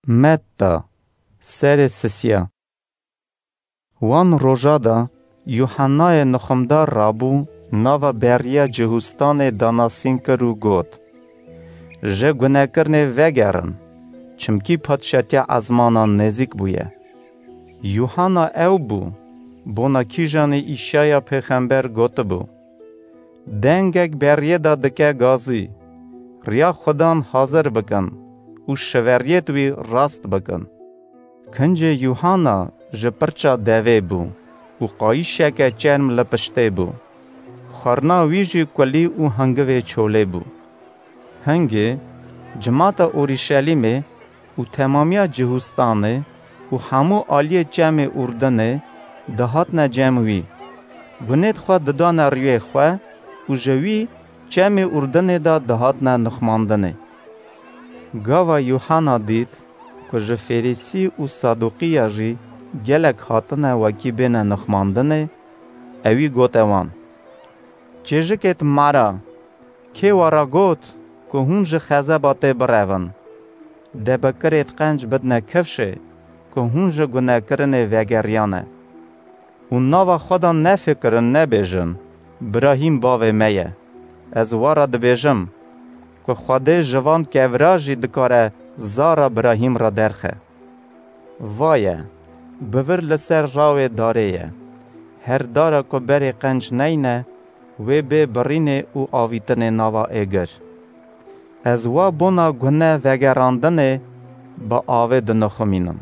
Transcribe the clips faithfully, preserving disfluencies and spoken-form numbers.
Metta, serê sisiya. Wan roja de Yuhannayê nixumdar rabû nava beriya Cihûstanê danasîn kir û got, "Ji gunekirinê vegerin, çimkî padşatiya ezmanan nêzîk bûye." Yuhanna ew bû, bona kîjanî Îşaya pêxember gotibû, "Dengek beriyê de dike gazî, riya Xudan hazir bikin û şiveriyêt wî rast bikin." Kincê Yuhanna ji pirça devê bû û qayîşeke çerm li piştê bû. Xwarina wî jî kulî û hingivê çolê bû. Hingê cimata Orîşelîmê û temamiya Cihûstanê û hemû aliyê çemê Urdinê dihatine cem wî. Gunêt xwe didane rûyê xwe û ji wî çemê Urdinê de dihatine nixmandinê. Gava Yuhanna dît ku ji Fêrîsî û Saduqiya jî gelek hatine wekî bêne nixmandinê, ewî gote wan, "Çêjikêt mara, kê we re got ku hûn ji xezeba tê birevin? Debikirêt qenc bidne kifşê ku hûn ji gunekirinê vegeriyane. Û nava xwe de nefikirin, nebêjin, 'Birahîm bavê me ye.' Ez we re dibêjim ku Xwedê ji van kevra jî dikare zara Birahîm re derxe. Vaye, bi vir li ser rawê darê ye. Her dara ku berê qenc neyne, wê bê birînê û avîtinê nava êgir. Ez we bona gune vegerandinê bi avê dinixumînim.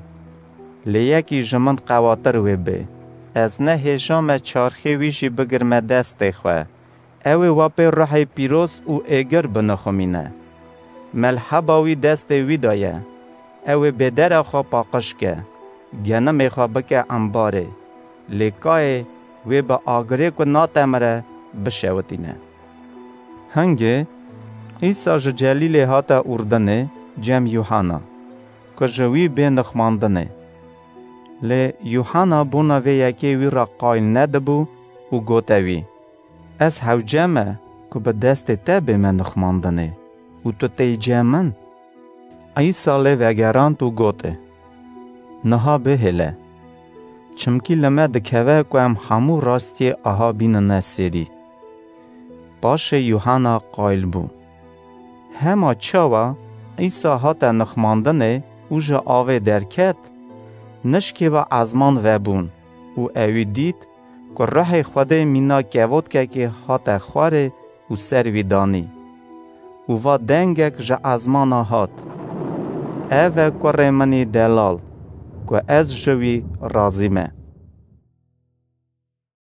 Lê yekî ji min qewatir wê bê. Ez nehêja me çarxê wî jî bigirime destê xwe. Ew ê we pê ruhê pîroz û êgir binixumîne. Melheba wî destê wî de ye. Ew ê bêdera xwe paqij ke, genimê xwe bike embarê. Lê kayê wê bi agirê ku natemire bişewitîne." Hingê Îsa ji Celîlê hate Urdinê cem Yuhana, ku ji wî bê nixmandinê. Lê Yuhana bona vê yekê wî re qayîl nedibû û gote wî, "Ez hewce me ku bi destê te bême nixmandinê û tu têy cem min?" Îsa lê vegerand û gote, "Niha bihêle, çimkî li me dikeve ku em hemû rastiyê aha bînine sêrî." Paşê Yuhana qayîl bû. Hema çawa Îsa hate nixmandinê û ji avê derket, nişkê ve ezman vebûn û ewî dît ku Ruhê Xwedê mîna kevotkekê hate xwarê û ser wî danî. Û va dengek ji ezmana hat, "Ev e kurê min î delal, ku ez ji wî razî me."